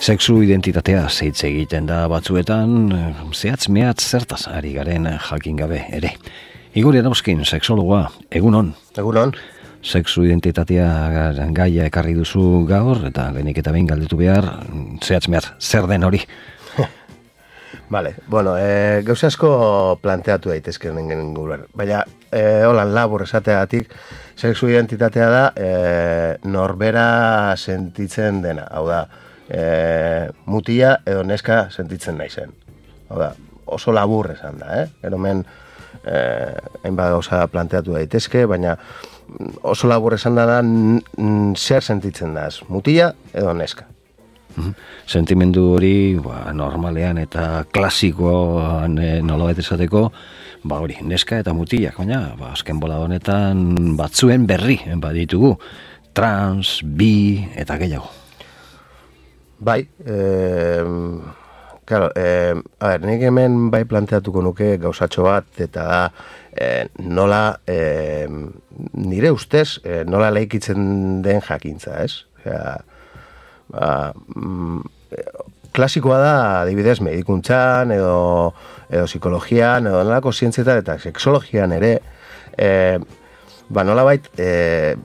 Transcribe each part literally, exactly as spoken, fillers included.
Sexu identitatea zeitz egiten da batzuetan, zehatz mehatz zertaz ari garen jakin gabe ere. Igor Erauzkin, sexologoa, egunon. Egunon. Sexu identitatea gaia ekarri duzu gaur, eta lehenik eta behin galdetu behar, zehatz mehatz, zer den hori? Vale, bueno, e, gauza asko planteatu daitezken inguruan. Baina, e, holan labur esateagatik, sexu identitatea da e, norbera sentitzen dena. Hau da, e, mutia edo neska sentitzen naizen. Hau da, oso labur esan da, eh? Eromen, e, hainbat gauza planteatu daitezke, baina oso labur esan da da zer sentitzen da, mutia edo neska. Sentimendu hori ba, normalean eta klasikoan e, nolabait esateko, ba hori, neska eta mutilak, baina ba, azken bola honetan batzuen berri baditugu, trans, bi eta gehiago. Bai, eh, claro, eh, a ver, nik hemen bai planteatuko nuke gauzatxo bat, eta da eh, nola, eh, nire ustez, eh, nola leikitzen den jakintza, ez? Osea, ba, mm, klasikoa da, adibidez, medikuntzan, edo, edo psikologian, edo nolako zientzietan, eta sexologian ere, eh, ba, nolabait, eh,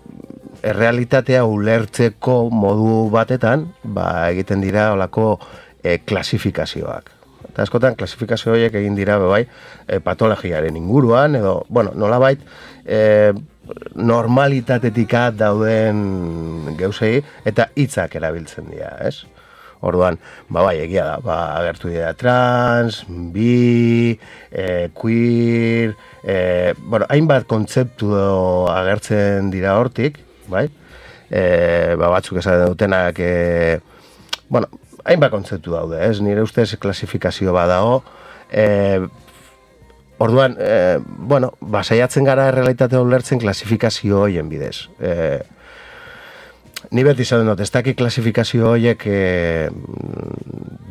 errealitatea ulertzeko modu batetan, ba, egiten dira olako e, klasifikazioak. Eta askotan, klasifikazio horiek egin dira, bai, e, patologiaren inguruan, edo, bueno, nolabait, e, normalitatetik dauden geuzei, eta hitzak erabiltzen dira, ez? Orduan, ba, bai, egia da, ba, agertu dira trans, bi, e, queer, e, bueno, hainbat kontzeptu agertzen dira hortik, bai, e, ba, batzuk esaten dutenak, e, bueno, hainbat kontzeptu daude, ez, nire ustez klasifikazio badago, e, orduan, e, bueno, ba, saiatzen gara errealitatea ulertzen klasifikazio hoien bidez. E, ni beti zaten dut, ez dakit klasifikazio horiek e,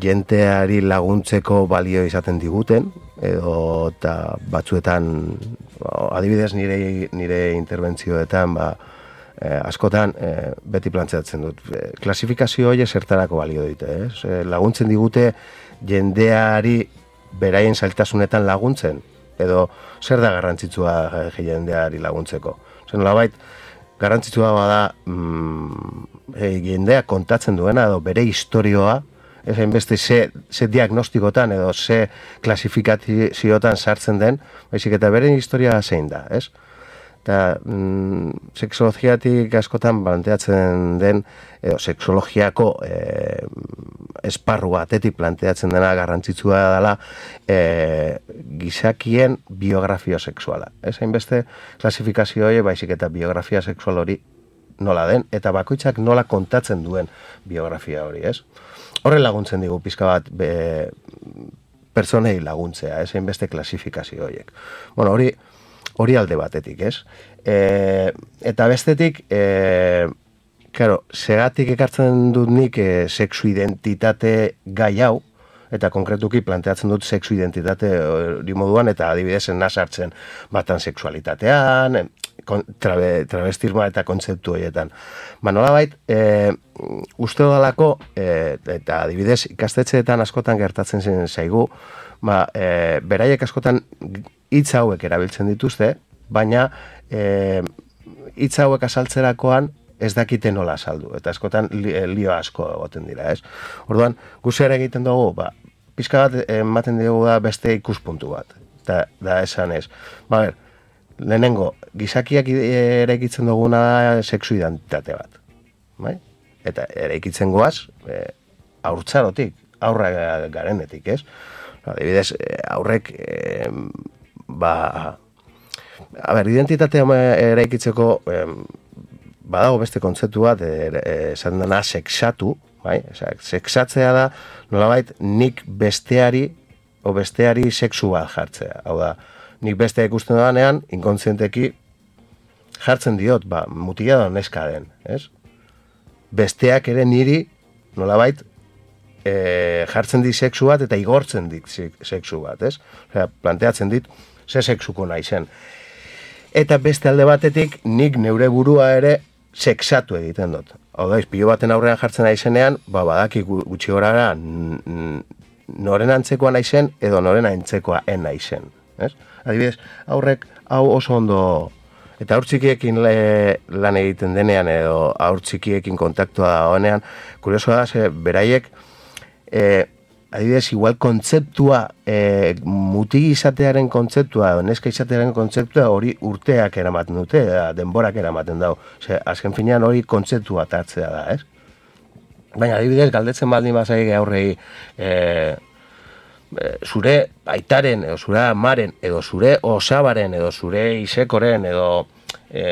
jenteari laguntzeko balio izaten diguten, edo eta batzuetan, adibidez nire, nire interbentzioetan, ba, Eh, askotan eh, beti plantzeatzen dut. Eh, klasifikazio horiek zertarako balio dute, eh? Eh, laguntzen digute jendeari beraien zailtasunetan laguntzen, edo zer da garrantzitsua eh, jendeari laguntzeko. Zer nolabait, garrantzitsua bada mm, eh, jendea kontatzen duena, edo bere historioa, ez hainbeste ze, ze diagnostikotan edo ze klasifikaziotan sartzen den, baizik eta bere historia zein da, ez? Eta mm, sexologiatik askotan planteatzen den, edo sexologiako e, esparru batetik planteatzen dena garrantzitsua dela e, gizakien biografia sexuala. Ez hainbeste klasifikazio hori, baizik eta biografia sexual hori nola den, eta bakoitzak nola kontatzen duen biografia hori, ez? Horren laguntzen digu pizka bat be, pertsonei laguntzea, ez hainbeste klasifikazio horiek. Bueno, hori hori alde batetik, ez? E, eta bestetik, e, claro, segatik ekartzen dut nik e, sexu identitate gai hau, eta konkretuki planteatzen dut sexu identitate hori moduan, eta adibidez naz hartzen batan sexualitatean, trabe, travestismoa eta kontzeptu horietan. Ba, nolabait, e, uste dudalako, e, eta adibidez ikastetxeetan askotan gertatzen zen zaigu, ba, e, beraiek askotan hitz hauek erabiltzen dituzte, baina e, hitz hauek azaltzerakoan ez dakite nola azaldu, eta askotan li, lio asko egoten dira, ez? Orduan, guzera egiten dugu, ba, pizka bat ematen dugu da beste ikuspuntu bat, eta da esan ez. Ba, ber, lehenengo, gizakiak eraikitzen duguna da sexu identitate bat, bai? Eta eraikitzen goaz, e, haurtzarotik, aurra garenetik, ez? Adibidez, aurrek, e, ba, a ber, identitatea eraikitzeko e, badago beste kontzeptu bat, esan dena sexatu, bai? Sexatzea da, nolabait, nik besteari, o besteari sexu bat jartzea. Hau da, nik bestea ikusten danean, inkontzienteki jartzen diot, ba, mutila da neska den, ez? Besteak ere niri, nolabait, e, jartzen dit sexu bat eta igortzen dit sexu bat, ez? Osea, planteatzen dit, ze sexuko naizen. Eta beste alde batetik, nik neure burua ere sexatu egiten dut. Hau da, izpilo baten aurrean jartzen naizenean, ba, badaki gutxi gorara noren antzekoa naizen edo noren antzekoa en naizen. Ez? Adibidez, aurrek hau oso ondo, eta aur txikiekin le, lan egiten denean edo aur txikiekin kontaktua da honean, kuriosoa da, ze beraiek, e, adibidez, igual kontzeptua, e, muti izatearen kontzeptua, neska izatearen kontzeptua hori urteak eramaten dute, da, denborak eramaten dau. Ose, azken finean hori kontzeptua tartzea da, ez? Baina, adibidez, galdetzen baldin bazaik aurrei, e, e, zure aitaren, edo zure amaren, edo zure osabaren, edo zure isekoren, edo e,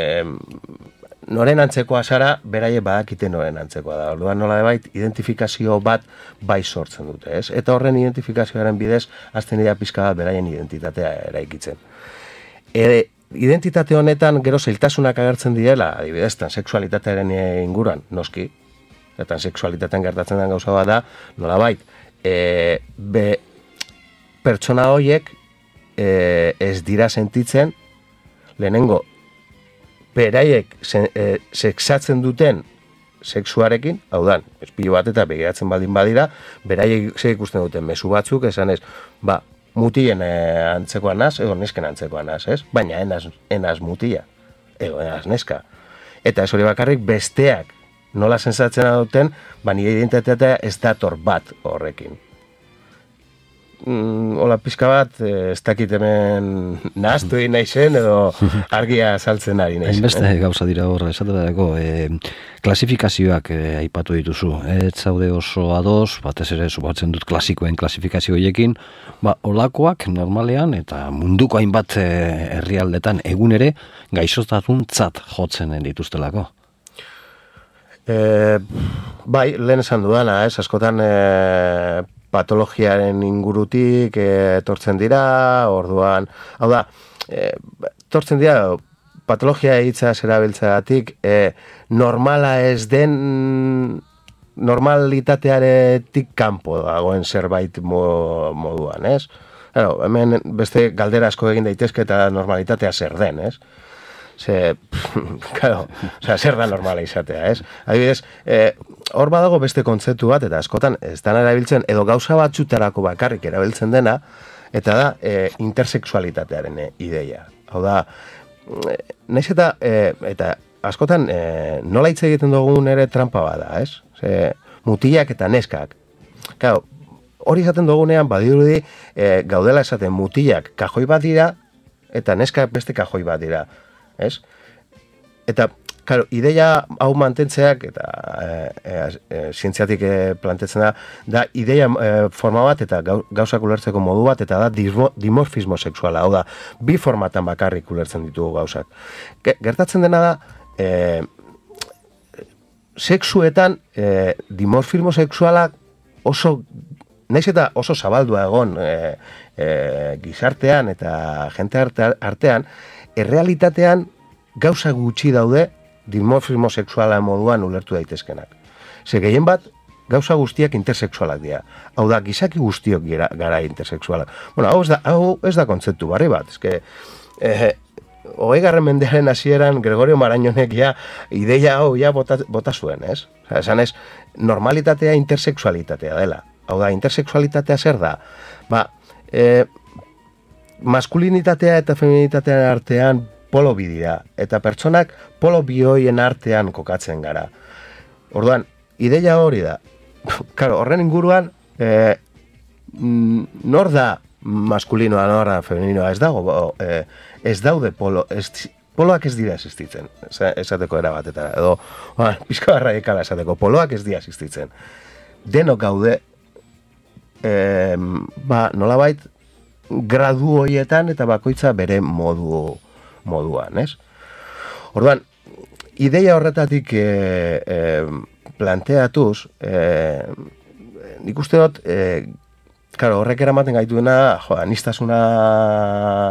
noren antzekoa zara, beraie badakite noren antzekoa da. Orduan nola debait, identifikazio bat bai sortzen dute, ez? Eta horren identifikazioaren bidez, azten dira pizka bat beraien identitatea eraikitzen. E, identitate honetan gero zailtasunak agertzen direla, adibidez, transexualitatearen inguruan, noski, eta transexualitatean gertatzen den gauza bat da, nola bait, e, be, pertsona horiek e, ez dira sentitzen, lehenengo, beraiek se, e, sexatzen duten sexuarekin, hau da, espilo bat eta begiratzen baldin badira, beraiek ze ikusten duten mezu batzuk, esan ez, ba, mutien e, antzekoa naz, edo nesken antzekoa naz, ez? Baina enaz, enaz mutia, edo enaz neska. Eta ez hori bakarrik besteak nola sensatzen duten, ba, nire identitatea ez dator bat horrekin. Mm, hola pizka bat, ez dakit hemen nahaztu egin naizen edo argia saltzen ari naizen. Hainbeste eh? gauza dira horra, esaterako, e, klasifikazioak e, aipatu dituzu. Ez zaude oso ados, batez ere subatzen dut klasikoen klasifikazio horiekin, ba, olakoak normalean eta munduko hainbat e, herrialdetan egun ere gaixotasuntzat jotzen dituztelako. E, bai, lehen esan dudana, ez, askotan e, patologiaren ingurutik e, etortzen dira, orduan, hau da, e, etortzen dira, patologia hitza zerabiltzeagatik, e, normala ez den, normalitatearetik kanpo dagoen zerbait moduan, ez? Claro, hemen beste galdera asko egin daitezke eta normalitatea zer den, ez? Ze, claro, o sea, zer da normala izatea, ez? Adibidez, eh, hor badago beste kontzeptu bat, eta askotan ez dana erabiltzen, edo gauza batzutarako bakarrik erabiltzen dena, eta da eh, intersexualitatearen eh, ideia. Hau da, eh, naiz eta, eh, eta askotan eh, nola hitz egiten dugun ere trampa bada, ez? Ze, mutilak eta neskak. Claro, hori izaten dugunean badirudi eh, gaudela esaten mutilak kajoi bat dira, eta neskak beste kajoi bat dira. Ez? Eta, claro, ideia hau mantentzeak, eta e, e, e, zientziatik e, plantetzen da, da ideia e, forma bat eta gauzak ulertzeko modu bat, eta da dimorfismo sexuala, hau da, bi formatan bakarrik ulertzen ditugu gauzak. Gertatzen dena da, e, sexuetan e, dimorfismo sexuala oso, naiz eta oso zabaldua egon e, e, gizartean eta jente artean, errealitatean gauza gutxi daude dimorfismo sexuala moduan ulertu daitezkenak. Ze gehien bat, gauza guztiak intersexualak dira. Hau da, gizaki guztiok gara, gara intersexualak. Bueno, hau ez da, hau ez da kontzeptu barri bat. Ez que, eh, hogeigarren mendearen hasieran Gregorio Marañonek ja ideia hau ja bota, bota zuen, ez? Osa, esan ez, normalitatea intersexualitatea dela. Hau da, intersexualitatea zer da? Ba, eh, maskulinitatea eta feminitatean artean polo bi dira, eta pertsonak polo bi hoien artean kokatzen gara. Orduan, ideia hori da. Claro, horren inguruan, eh, nor da maskulinoa, nor da femininoa, ez dago, eh, ez daude polo, ez, poloak ez dira existitzen, esateko erabat, eta edo, ba, pizka radikala esateko, poloak ez dira existitzen. Denok gaude, eh, ba, nolabait, gradu horietan eta bakoitza bere modu moduan, ez? Orduan, ideia horretatik e, e, planteatuz, e, nik uste dut, e, claro, horrek eramaten gaituena, jo, anistasuna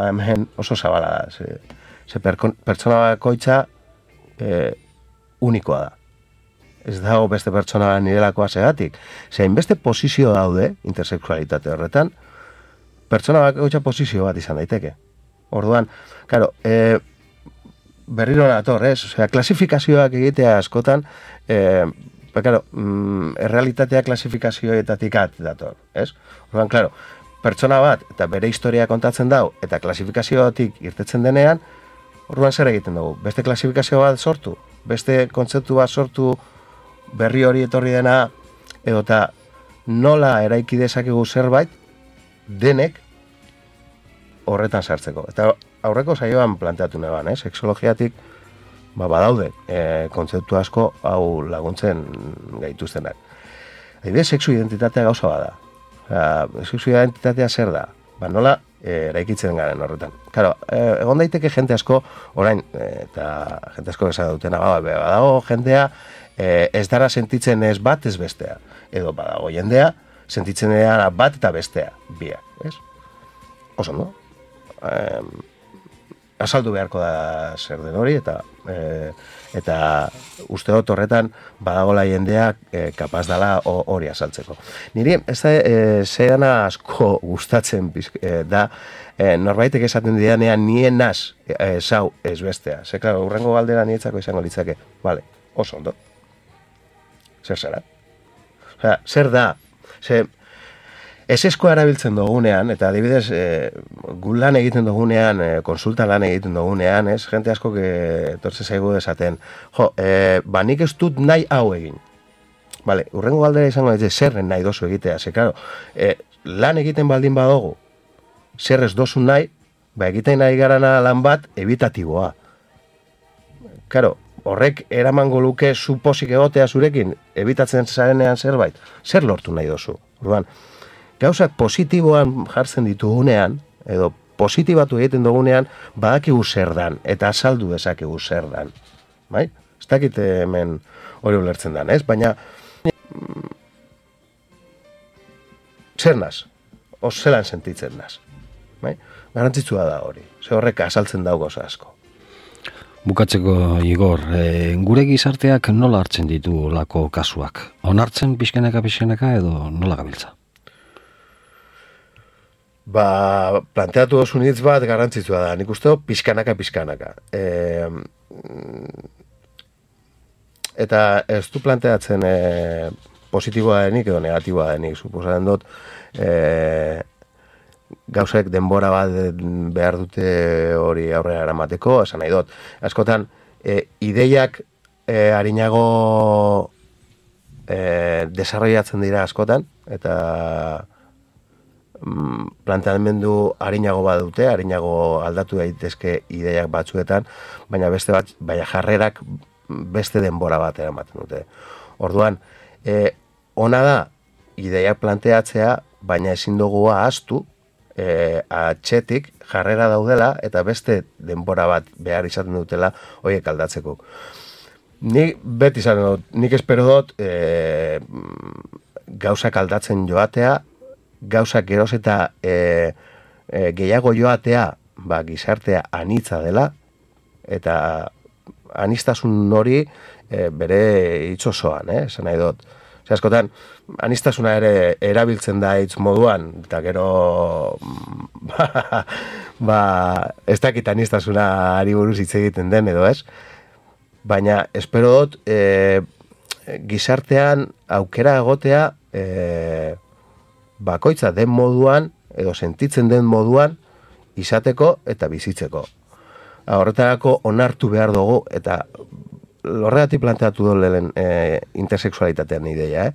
hemen oso zabala da, ze, ze pertsona bakoitza e, unikoa da. Ez dago beste pertsona nirelakoa segatik. Zein beste posizio daude, intersexualitate horretan, pertsona bakoitza posizio bat izan daiteke. Orduan, claro, e, berriro nator, ez? Osea, klasifikazioak egitea askotan, eh, ba, claro, mm, errealitatea klasifikazioetatik at dator, ez? Orduan, claro, pertsona bat eta bere historia kontatzen dau eta klasifikazioatik irtetzen denean, orduan zer egiten dugu? Beste klasifikazio bat sortu, beste kontzeptu bat sortu berri hori etorri dena, edo eta nola eraiki dezakegu zerbait denek horretan sartzeko. Eta aurreko saioan planteatu neban, eh? Sexologiatik ba, badaude e, kontzeptu asko hau laguntzen gaituztenak. Adibidez, sexu identitatea gauza bada. Osea, sexu identitatea zer da? Ba, nola e, eraikitzen garen horretan. Claro, e, egon daiteke jente asko, orain, e, eta jente asko esan dutena, ba, badago jendea e, ez dara sentitzen ez bat ez bestea. Edo badago jendea sentitzen dara bat eta bestea, biak, ez? Oso, no? E, azaldu beharko da zer den hori, eta e, eta uste dut horretan badagola jendeak e, kapaz dela hori azaltzeko. Niri, ez da, e, zehana asko gustatzen e, da, e, norbaitek esaten didanean nien naz e, zau ez bestea. Ze, klaro, urrengo galdera nietzako izango litzake. Vale, oso ondo. Zer zara? Osea, zer da? Ze, eseskoa erabiltzen dugunean, eta adibidez, e, gu lan egiten dugunean, e, konsulta lan egiten dugunean, ez? Jente asko etortze zaigu desaten, jo, e, ba nik ez dut nahi hau egin. Vale, urrengo galdera izango ez zerren nahi dozu egitea, ze, claro, e, lan egiten baldin badogu, zer ez dozu nahi, ba egiten nahi garana lan bat ebitatiboa. Claro, horrek eramango luke suposik egotea zurekin, ebitatzen zarenean zerbait, zer lortu nahi dozu. Orduan, gauzak positiboan jartzen ditugunean, edo positibatu egiten dugunean, badakigu zer dan, eta azaldu dezakegu zer dan. Bai? Ez dakit hemen hori ulertzen dan, ez? Baina, mm, zer naz? O zelan sentitzen naz? Bai? Garantzitsua da hori. Ze horrek azaltzen dago goza asko. Bukatzeko, Igor, e, gure gizarteak nola hartzen ditu lako kasuak? Onartzen pixkenaka-pixkenaka edo nola gabiltza? Ba, planteatu osun hitz bat garrantzitsua da, nik uste pixkanaka-pixkanaka. E, eta ez du planteatzen e, positiboa denik edo negatiboa denik, suposatzen dut, e, gauzek denbora bat behar dute hori aurrera eramateko, esan nahi dut. Askotan, e, ideiak e, harinago e, desarrollatzen dira askotan, eta planteamendu harinago badute, harinago aldatu daitezke ideiak batzuetan, baina beste bat, baina jarrerak beste denbora bat eramaten dute. Orduan, e, ona da ideiak planteatzea, baina ezin dugu ahaztu, e, atxetik jarrera daudela eta beste denbora bat behar izaten dutela horiek aldatzeko. Nik beti izan dut, nik espero dut e, gauzak aldatzen joatea, gauzak geroz eta e, e, gehiago joatea ba, gizartea anitza dela, eta anistasun hori e, bere itxosoan, eh, esan nahi dut. Zer askotan, anistasuna ere erabiltzen da hitz moduan, eta gero ba, ba, ez dakit anistasuna ari buruz hitz egiten den edo ez, baina espero dut e, gizartean aukera egotea e, bakoitza den moduan, edo sentitzen den moduan, izateko eta bizitzeko. Horretarako onartu behar dugu, eta horregatik planteatu dut lehen e, intersexualitatean ideia, eh?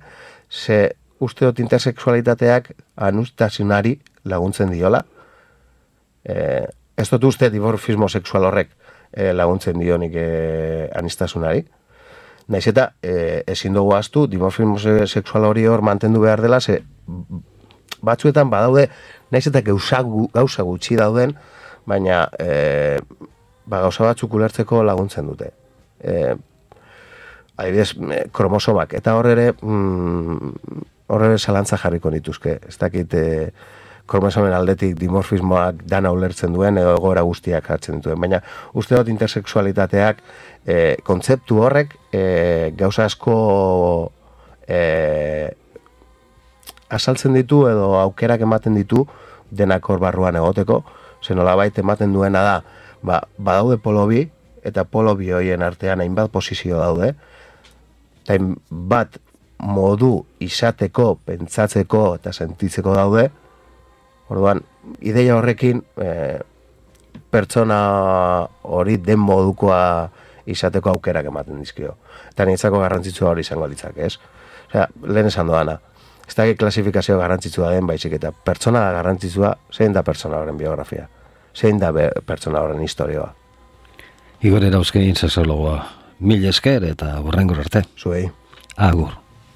Ze uste dut intersexualitateak anustasunari laguntzen diola, e, ez dut uste dimorfismo sexual horrek e, laguntzen dionik e, anistasunari, naiz eta e, ezin dugu ahaztu dimorfismo sexual hori hor mantendu behar dela, ze batzuetan badaude, naiz eta gauza, gauza gutxi dauden, baina e, ba, gauza batzuk ulertzeko laguntzen dute. E, adibidez, kromosomak, eta hor ere, mm, hor ere zalantza jarriko nituzke. Ez dakit e, kromosomen aldetik dimorfismoak dana ulertzen duen, edo egoera guztiak hartzen dituen. Baina uste dut intersexualitateak e, kontzeptu horrek e, gauza asko e, azaltzen ditu edo aukerak ematen ditu denak hor barruan egoteko, ze nolabait ematen duena da, ba, badaude polo bi, eta polo bi hoien artean hainbat posizio daude, eta hainbat modu izateko, pentsatzeko eta sentitzeko daude, orduan, ideia horrekin e, pertsona hori den modukoa izateko aukerak ematen dizkio. Eta nintzako garrantzitsua hori izango litzak, ez? Osea, lehen esan doana, ez da klasifikazio garrantzitsua den baizik eta pertsona garrantzitsua, zein da pertsona horren biografia, zein da be, pertsona horren historioa. Igor Erauzkin sexologoa, mil esker eta hurrengor arte. Zuei. Agur.